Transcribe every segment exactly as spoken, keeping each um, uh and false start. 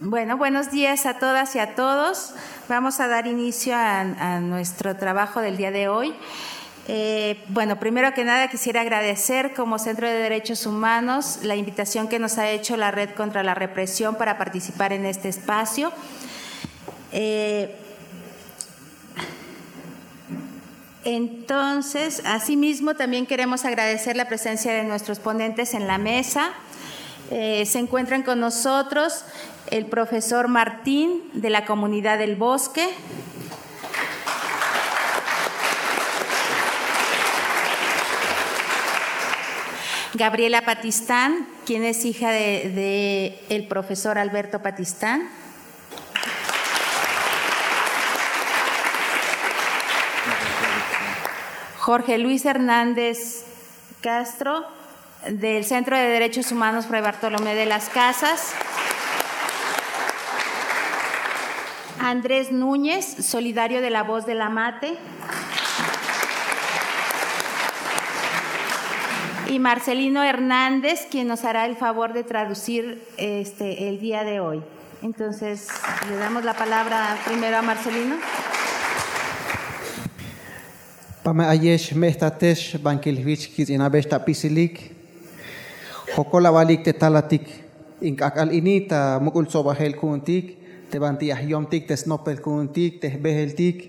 Bueno, buenos días a todas y a todos. Vamos a dar inicio a, a nuestro trabajo del día de hoy. Eh, bueno, primero que nada quisiera agradecer como Centro de Derechos Humanos la invitación que nos ha hecho la Red contra la Represión para participar en este espacio. Eh, Entonces, asimismo, también queremos agradecer la presencia de nuestros ponentes en la mesa. Eh, se encuentran con nosotros el profesor Martín, de la comunidad del Bosque, Gabriela Patistán, quien es hija de, de el profesor Alberto Patistán, Jorge Luis Hernández Castro, del Centro de Derechos Humanos Fray Bartolomé de las Casas, Andrés Núñez, solidario de La Voz de la Mate, y Marcelino Hernández, quien nos hará el favor de traducir, este, el día de hoy. Entonces, le damos la palabra primero a Marcelino. Pame ayex, me'jtatex, bankil jich kits'inabex ta apisilik. Jokol abalik te talatik in k'ak'al ini ta muk'ul tsobajel ku'untik, te banti ya jyomtik te snopel ku'untik, te jbejeltik.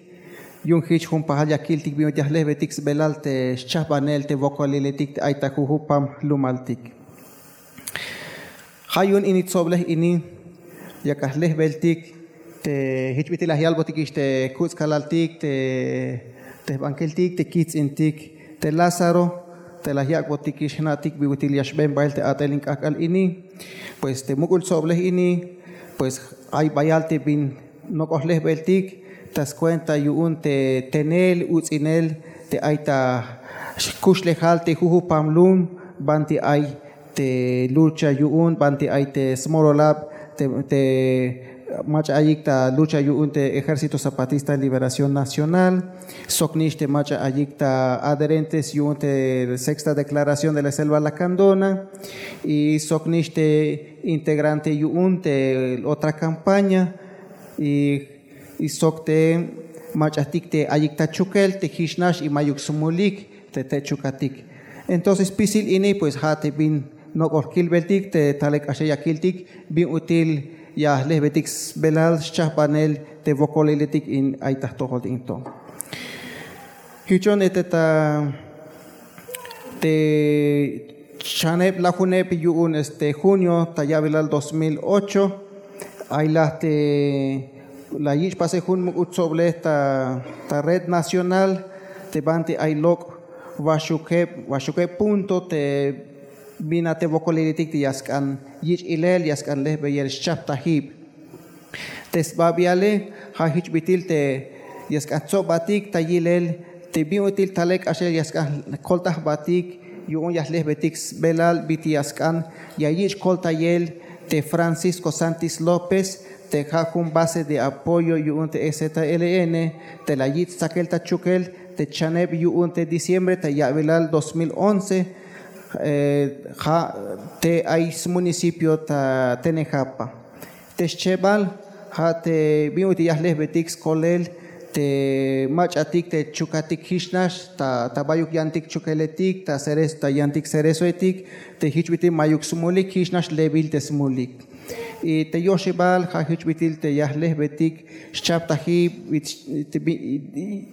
Yu'un jich jun pajal ya kiltik bin ut'il ya jlejbetik sbelal te xchajbanel te wokoliletik te ay ta jujupam jlumaltik. Ja' yu'un ini tsoblej ini, yak ajlejbeltik te jich bit'il la yalbotikix te kuts' kalaltik, te, te jbankiltik, te kijts'intik, te Lázaro, te la yak'botikix jna'tik bi ut'il ya xben bael te a'tel in k'ak'al ini. Pues te muk'ul tsoblej ini, pues ay bayal te bin nok'ol jlejbeltik ta skuenta yu'un te tenel uts'inel te ay ta kuxlejal te jujupam lum, banti ay te lucha yu'un, banti ay te smololab te, te mach'a ayik ta lucha yu'un te Ejército Zapatista de Liberación Nacional, sok nix te mach'a ayik ta adherentes yu'un te Sexta Declaración de la Selva Lacandona, y sok nix te integrante yu'un te otra campaña, y, y sok te mach'atik te ayik ta Chukel te jich nax y mayuk smulik te, te chukatik. Entonces spisil ini, pues ja' te bin nok'ol kilbeltik te talel k'axel ya kiltik bin ut'il ya jlejbetik sbelal xchajbanel te wokoliletik in ay ta jtojol in to. Jichon, este, ta te chaneb lajuneb yu'un, este, junio ta ya'bilal dos mil ocho, ay la te la yich' pasel jun muk'ul tsoblej ta, ta red nacional te banti ay lok' waxukeb, waxukeb punto te bin a te wokoliletik te ya sk'an yich' ilel, ya sk'an lejbeyel xchajtajib. Te sbabiale ja' jich bit'il te ya sk'an tsobbatik ta yilel te bin ut'il talel k'axel ya sk'an koltay jbatik yu'un ya jlejbetik sbelal bit'il ya sk'an ya yich' koltayel te Francisco Sántiz López, te ja' jun base de apoyo yu'un te E Z L N, te la yich' stsakel ta Chukel te chaneb yu'un te diciembre ta ya'bilal dos mil once, eh, ja' te ay smunicipio ta Tenejapa. Te schebal ja' te bin ut'il ya jlejbetik skolel te mach'atik te chukatik jich nax ta, ta bayuk yantik Chukeletik, ta Cerezo, ta yantik Cerezoetik, te jich bit'il mayuk smulik, jich nax lebil te smulik. Y te yoxebal ja' jich bit'il te ya jlejbetik xchajtajib y,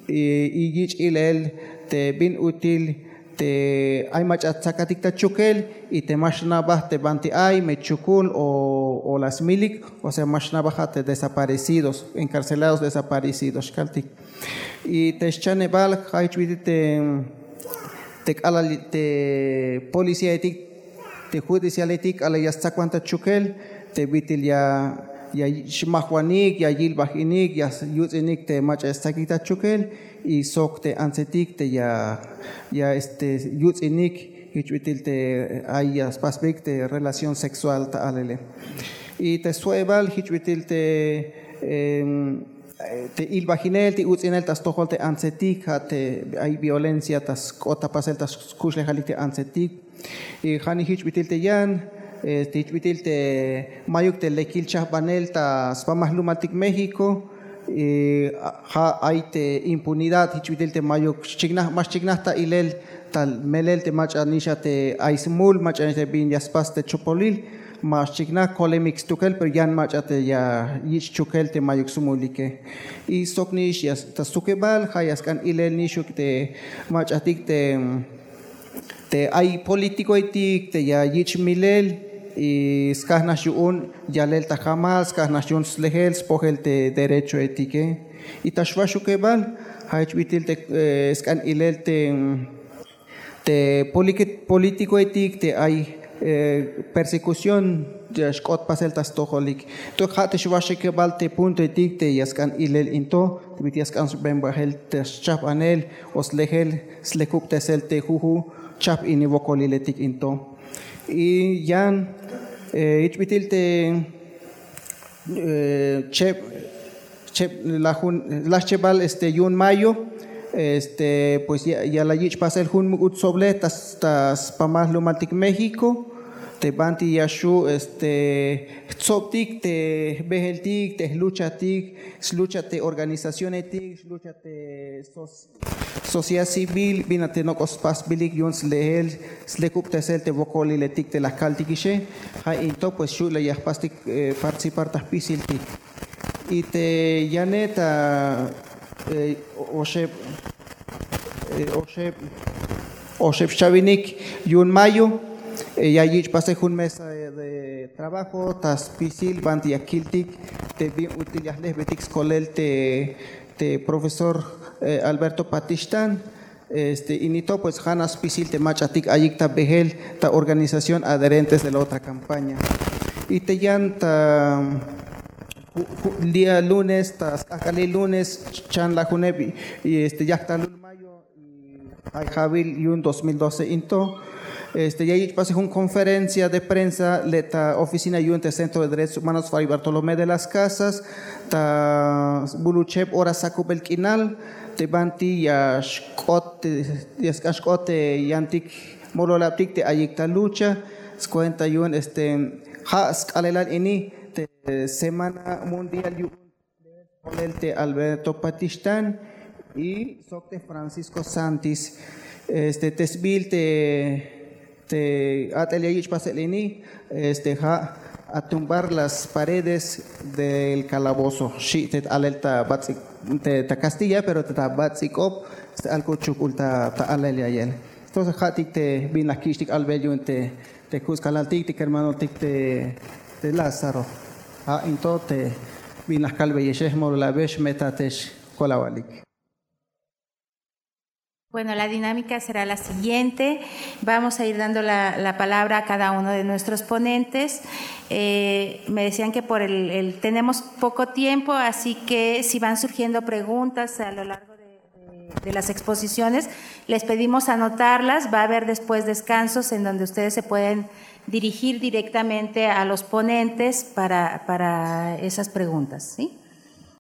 y yich' ilel te bin ut'il te ay mach'a tsakatik ta Chukel y te ma xnabaj te banti ay me chukul o, o la smilik, o sea, ma xnabaj ja' te desaparecidos, encarcelados desaparecidos xkaltik. Y te xchanebal ja' jich bit'il te, te k'alal te policíaetik, te judicialetik k'alal ya stsakwan ta Chukel, te bit'il ya, ya xmajwanik, ya yilbaj inik, ya yuts'inik te mach'a ya stsakik ta Chukel, y sok te antsetik te ya, ya, este, yuts'inik jich bit'il te ay ya spasbeyik te relación sexual ta alele. Y te sjo'ebal jich bit'il te, em, te ilbajinel, te uts'inel ta stojol te antsetik, ja' te ay violencia ta sk'ot ta pasel ta skuxlejalik te antsetik. Y ja'nix jich bit'il te yan, Este, jich bit'il te mayuk te lekil chajbanel ta spamal jlumaltik México, ja' ay te impunidad, jich bit'il te mayuk xchiknaj, ma xchiknaj ta ilel ta melel te mach'a nix a te ay smul, mach'a nix te bin ya spas te chopolil, ma xchiknaj, kolemik stukel, pero yan mach'a te ya yich' chukel te mayuk smulike. Y sok nix ya ta stukebal ja' ya sk'an ilel nixuk te mach'atik te te ay políticoetik te ya yich' milel y skaj nax yu'un yalel ta jamal, skaj nax yu'un slejel spojel te derechoetike. Y ta xwaxukebal ja' jich bit'il te sk'an ilel te te políticoetik te ay persecución ya xk'ot pasel ta stojolik. Entonces ja' te xwaxukebal te puntoetik te ya sk'an ilel in to te bit'il ya sk'an sben bajel te schajbanel o slejel slekubtesel te juju' chajp ini wokoliletik in to. Y yan jich bit'il te cheb cheb la jun la xchebal este yu'un mayo. Este pues ya la yich' pasel jun muk'ul tsoblej ta spamal jlumaltik México te banti ya xju' este jtsobtik te jbejeltik te jluchatik, slucha te organizacionetik, slucha te sociedad civil bin a te nok'o spasbilik yu'un slehel slekubtesel te wokoliletik te la kaltikixe. Ja' in to pues xu' la ya jpastik participar ta jpisiltik. Y te yane ta oxeb oxeb oxeb xchawinik yu'un mayo ya yich' pasel jun mesa de trabajo ta spisil banti ya kiltik te bin ut'il ya jlejbetik skolel te te profesor Alberto Patixtán. Este ini to pues ja' nax spisil te mach'atik ayik ta behel ta organización adherentes de la otra campaña. Y te yan ta día lunes ta sk'ajk'alil lunes chan lajuneb y este yajtalul mayo y ay jawil yu'un dos mil doce in to este ya yich' pasel jun conferencia de prensa le' ta oficina yu'un te Centro de Derechos Humanos Fray Bartolomé de las Casas ta bulucheb hora sakubel k'inal te banti ya xk'ot ya sk'an xk'ot te yantik mololabtik te ayik ta lucha. Skuenta yu'un este ja' sk'aalelal ini te semana mundial yu'un te Alberto Patixtán y sok te Francisco Santis. Este te sbiil te te a'tel ya yich' pasel ini este ja' a tumbar las paredes del calabozo xi' te alel ta bats'ik ta kastilla pero ta bats'ik'ob. Alko chuk'ul ta alel ya'yel. Entonces ja'tik te bin la kich'tik albel yu'un te te kutzkalaltik te kermanotik te te Lázaro. Ja' in to te bin la kalbeyexe jmololabex me ta te xkolawalik. Bueno, la dinámica será la siguiente. Vamos a ir dando la, la palabra a cada uno de nuestros ponentes. Eh, me decían que por el, el- tenemos poco tiempo, así que si van surgiendo preguntas a lo largo de, de- de las exposiciones, les pedimos anotarlas. Va a haber después descansos en donde ustedes se pueden dirigir directamente a los ponentes para, para esas preguntas, ¿sí?